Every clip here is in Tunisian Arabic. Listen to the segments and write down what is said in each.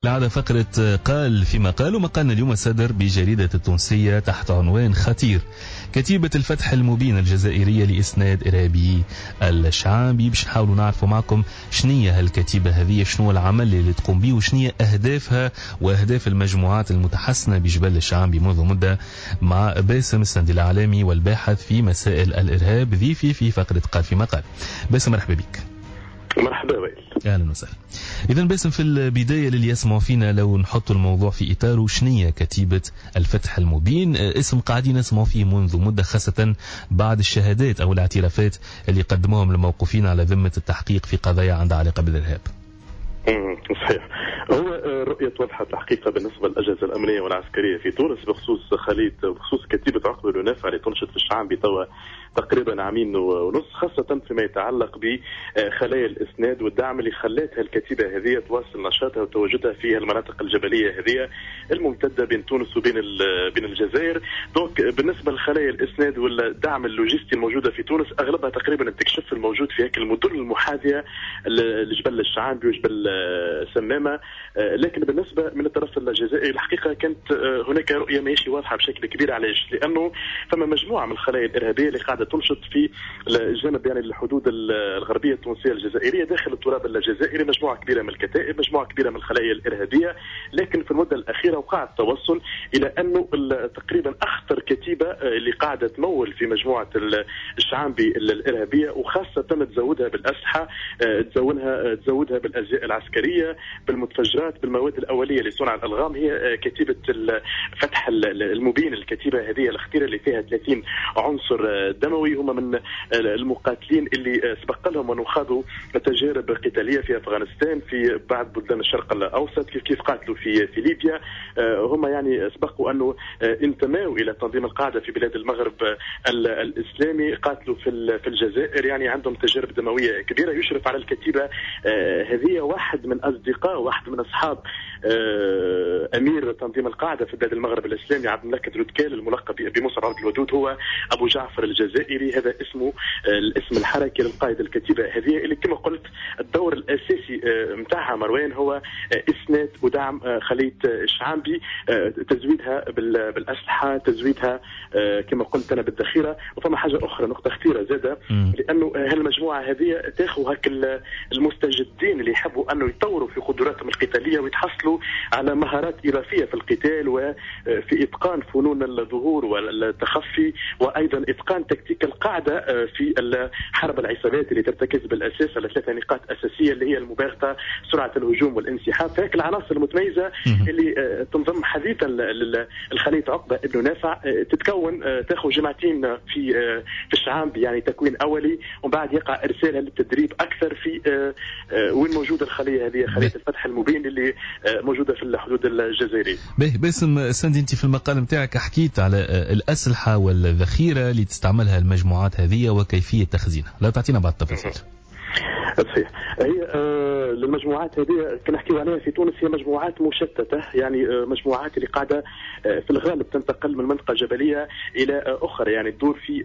العادة فقرة قال فيما قال، ومقالنا اليوم صدر بجريدة التونسية تحت عنوان خطير: كتيبة الفتح المبين الجزائرية لإسناد إرهابي الشعابي. باش نحاولوا نعرفوا معكم شنية هالكتيبة هذه، شنو العمل اللي تقوم به، وشنية أهدافها وأهداف المجموعات المتحسنة بجبل الشعابي منذ مدة، مع باسم السندي الإعلامي والباحث في مسائل الإرهاب، ضيفي في فقرة قال فيما قال. باسم مرحبا بك. مرحبا وائل. اهلا وسهلا. اذا باسم، في البداية للي يسمعوا فينا لو نحط الموضوع في اطاره، شنية كتيبة الفتح المبين؟ اسم قاعدين نسمعوا فيه منذ مده، خاصة بعد الشهادات او الاعترافات اللي قدموهم الموقوفين على ذمه التحقيق في قضايا عندها علاقة بالارهاب. صحيح، هو رؤية وضحت الحقيقة بالنسبة للأجهزة الأمنية والعسكرية في تونس بخصوص خلية، بخصوص كتيبة عقبة بن نافع اللي تنشط في الشعانبي توا تقريبا عامين ونص، خاصة فيما يتعلق بخلايا الإسناد والدعم اللي خلاتها الكتيبة هذه تواصل نشاطها وتواجدها في المناطق الجبلية هذه الممتدة بين تونس وبين بين الجزائر. donc بالنسبة لخلايا الإسناد والدعم اللوجستي الموجودة في تونس، أغلبها تقريبا التكشف الموجود في هيك المدن المحاذية لجبل الشعانبي وجبل سمامة. لكن بالنسبة من الطرف الجزائري الحقيقة كانت هناك رؤية ماشي واضحة بشكل كبير. علاش؟ لأنه فما مجموعة من الخلايا الإرهابية اللي قاعدة تنشط في الجانب، يعني الحدود الغربية التونسية الجزائرية داخل التراب الجزائري، مجموعة كبيرة من الكتائب، مجموعة كبيرة من الخلايا الإرهابية. لكن في المدة الأخيرة وقع التوصل إلى أنه تقريبا أخطر كتيبة اللي قاعدة تمول في مجموعة الشعانبي الإرهابية، وخاصة تزودها بالأسلحة، تزودها بالأزياء العسكرية، بالمتفجرات، بالمواد الأولية لصنع الألغام، هي كتيبة الفتح المبين. الكتيبة هذه الخطيرة اللي فيها 30 عنصر دموي، هم من المقاتلين اللي سبق لهم أن خاضوا تجارب قتالية في أفغانستان، في بعض بلدان الشرق الأوسط، كيف قاتلوا في ليبيا. هم يعني سبقوا أنه انتموا إلى تنظيم القاعدة في بلاد المغرب الإسلامي، قاتلوا في الجزائر، يعني عندهم تجارب دموية كبيرة. يشرف على الكتيبة هذه واحد من أصدقاء، واحد من أصحاب أمير تنظيم القاعدة في بلاد المغرب الإسلامي، عبد الملك درودكال الملقب بمصعب عبد الودود، هو أبو جعفر الجزائري. هذا اسمه، الاسم الحركي للقائد الكتيبة هذه، اللي كما قلت الدور الأساسي متاعها مروان هو إسناد ودعم خلية الشعانبي، تزويدها بالأسلحة، تزويدها كما قلت أنا بالذخيرة. وفما حاجة أخرى، نقطة خطيرة زادة، لأنه هالمجموعة هذه تاخذ هك المستجدين اللي يحبوا أنه يطوروا في قدراتهم القتالية ويتحصلوا على مهارات إضافية في القتال وفي إتقان فنون الظهور والتخفي، وأيضا إتقان تكتيك القاعدة في حرب العصابات اللي ترتكز بالأساس على 3 نقاط أساسية اللي هي المباغتة، سرعة الهجوم، والانسحاب. فهيك العناصر المتميزة اللي تنضم حديثا للخلية عقبة ابن نافع تتكون، تاخذ جماعتين في الشعانبي، يعني تكوين أولي، ومن بعد يقع إرسالها للتدريب أكثر في وين موجودة الخلية هذه، خلية الفتح المبين اللي موجودة في الحدود الجزائرية. باسم سندي، أنت في المقال نتاعك حكيت على الأسلحة والذخيرة اللي تستعملها المجموعات هذه وكيفية تخزينها، لا تعطينا بعض التفاصيل. صحيح، هي المجموعات هذه كنا نحكيو عليها في تونس هي مجموعات مشتتة، يعني مجموعات اللي قاعدة في الغالب تنتقل من منطقة جبلية إلى أخرى، يعني تدور في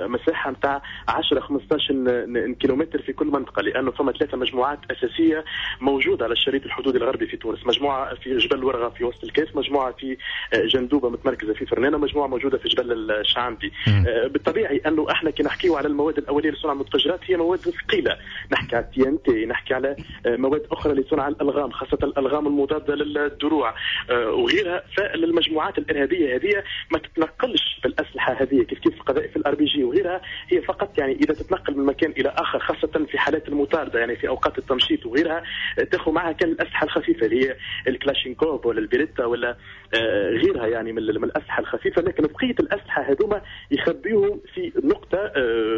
مساحة نتاع 10-15 كيلومتر في كل منطقة، لأنه فما 3 مجموعات أساسية موجودة على الشريط الحدودي الغربي في تونس: مجموعة في جبل ورغة في وسط الكاف، مجموعة في جندوبة متمركزة في فرنانة، مجموعة موجودة في جبل الشعانبي. بالطبيعي أنه احنا كي نحكيو على المواد الأولية لصنع المتفجرات هي مواد ثقيلة، نحكي على TNT، نحكي على مواد أخرى لصنع الألغام، خاصة الألغام المضادة للدروع وغيرها. فالمجموعات الإرهابية هذه ما تتنقلش بالأسلحة هذه كيف كيف قذائف ال RPG وغيرها، هي فقط يعني إذا تتنقل من مكان إلى آخر، خاصة في حالات المطاردة، يعني في أوقات التمشيط وغيرها، تاخذ معها كان الأسلحة الخفيفة اللي هي الكلاشينكوف ولا البيريتا ولا غيرها، يعني من الأسلحة الخفيفة. لكن بقية الأسلحة هذوما يخبيهم في نقطة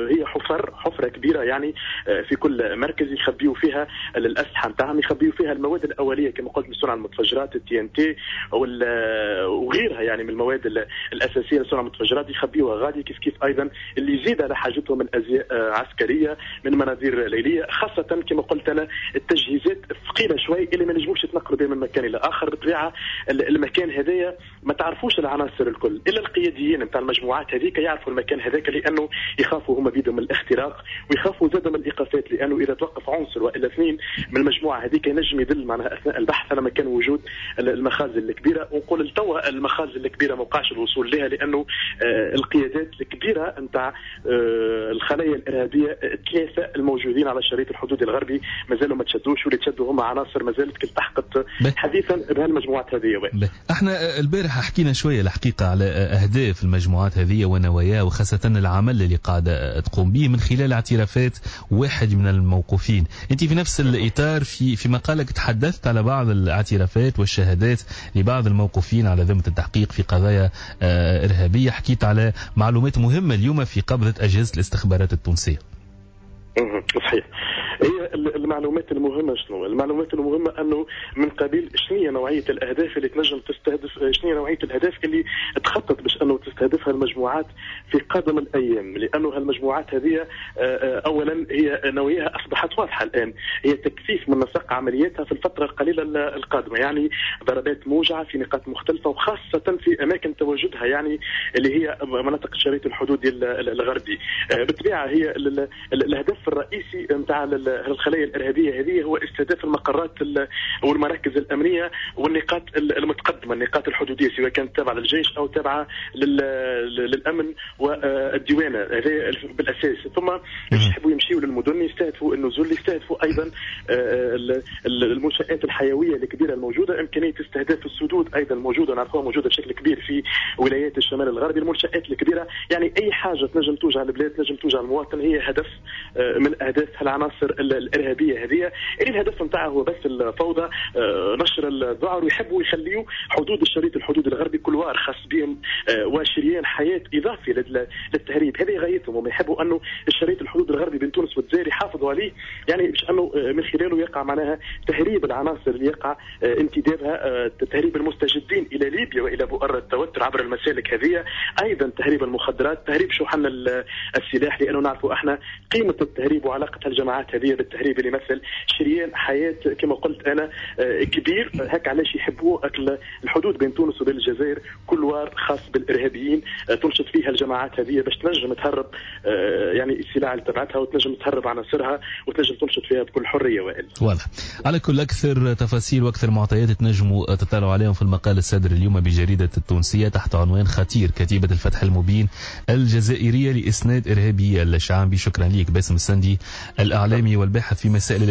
هي حفرة كبيرة، يعني في كل مركز يخبيوا فيها الأسلحة نتاعهم، يخبيوا فيها المواد الأولية كما قلت لصنع المتفجرات، TNT وغيرها، يعني من المواد الأساسية لصنع المتفجرات يخبيوها غادي. كيف كيف أيضا اللي يزيد على حاجتهم من أزياء عسكرية، من مناظير ليلية، خاصة كما قلت أنا التجهيزات الثقيلة شوي اللي ما نجموش يتنقلوا بها من مكان إلى آخر. بالطبيعة المكان هذايا ما تعرفوش العناصر الكل الا القياديين نتاع المجموعات هذيك يعرفوا المكان هذاك، لانه يخافوا هما بيدهم من الاختراق ويخافوا زاد من الايقافات، لانه اذا توقف عنصر والا اثنين من المجموعة هذيك ينجم يدل معناها اثناء البحث على مكان وجود المخازن الكبيرة. ونقول لتوا المخازن الكبيرة ما وقعش الوصول لها، لانه القيادات الكبيرة نتاع الخلايا الارهابية الثلاثة الموجودين على الشريط الحدودي الغربي مازالوا ما تشدوش، واللي تشدوا هما عناصر ما زالت التحقت حديثا بهالمجموعات هذه. احنا البارحة حكينا شوية الحقيقة على اهداف المجموعات هذه ونواياها، وخاصة العمل اللي قاعدة تقوم به من خلال اعترافات واحد من الموقوفين. انت في نفس الاطار في مقالك تحدثت على بعض الاعترافات والشهادات لبعض الموقوفين على ذمه التحقيق في قضايا ارهابية، حكيت على معلومات مهمة اليوم في قبضه اجهزة الاستخبارات التونسية. صحيح. هي المعلومات المهمة شنو؟ المعلومات المهمة أنه من قبيل شنو هي نوعية الأهداف اللي تنجم تستهدف، شنو هي نوعية الأهداف اللي تخطط باش أنه تستهدفها المجموعات في قادم الأيام، لأنه هالمجموعات هذه أولا هي نواياها أصبحت واضحة الآن، هي تكثيف من نسق عملياتها في الفترة القليلة القادمة، يعني ضربات موجعة في نقاط مختلفة وخاصة في أماكن تواجدها، يعني اللي هي مناطق الشريط الحدودي الغربي. بالطبيعة هي الهدف الرئيسي نتاع الخلايا الارهابية هذه هو استهداف المقرات والمراكز الامنية والنقاط المتقدمة، النقاط الحدوديه سواء كانت تابعه للجيش او تابعه للامن والديوانه، هذا بالاساس. ثم يحبوا يمشيوا للمدن، يستهدفوا النزول، يستهدفوا ايضا المنشات الحيوية الكبيرة الموجودة، امكانية استهداف السدود ايضا موجودة، نعرفوها موجودة بشكل كبير في ولايات الشمال الغربي، المنشات الكبيرة، يعني اي حاجة تنجم توجع البلاد تنجم توجع المواطن هي هدف من اهداف العناصر الارهابية هذه، اللي الهدف نتاعها هو بس الفوضى، نشر الذعر، ويحبوا يخليوا حدود الشريط الحدود الغربي couloir خاص بهم وشريان حياة اضافي للتهريب، هذه غايتهم. هم يحبوا انه الشريط الحدود الغربي بين تونس والجزائر يحافظوا عليه، يعني باش انه من خلاله يقع معناها تهريب العناصر اللي يقع انتدابها، تهريب المستجدين الى ليبيا والى بؤر التوتر عبر المسالك هذه، ايضا تهريب المخدرات، تهريب شحن السلاح، لانه نعرفوا احنا قيمة التهريب وعلاقة الجماعات هذه بالتهريب اللي يمثل شريان حياة كما قلت انا كبير. هك علاش يحبوا الحدود بين تونس وبين الجزائر couloir خاص بالارهابيين تنشط فيها الجماعات هذه باش تنجم تهرب يعني السلاح اللي تبعتها وتنجم تهرب عناصرها وتنجم تنشط فيها بكل حرية. وائل واضح. على كل اكثر تفاصيل واكثر معطيات تنجموا تطلعوا عليهم في المقال الصادر اليوم بجريدة التونسية تحت عنوان خطير كتيبة الفتح المبين الجزائرية لاسناد ارهابي الشعبي. شكرا لك باسم السندي الاعلامي والباحث في مسائل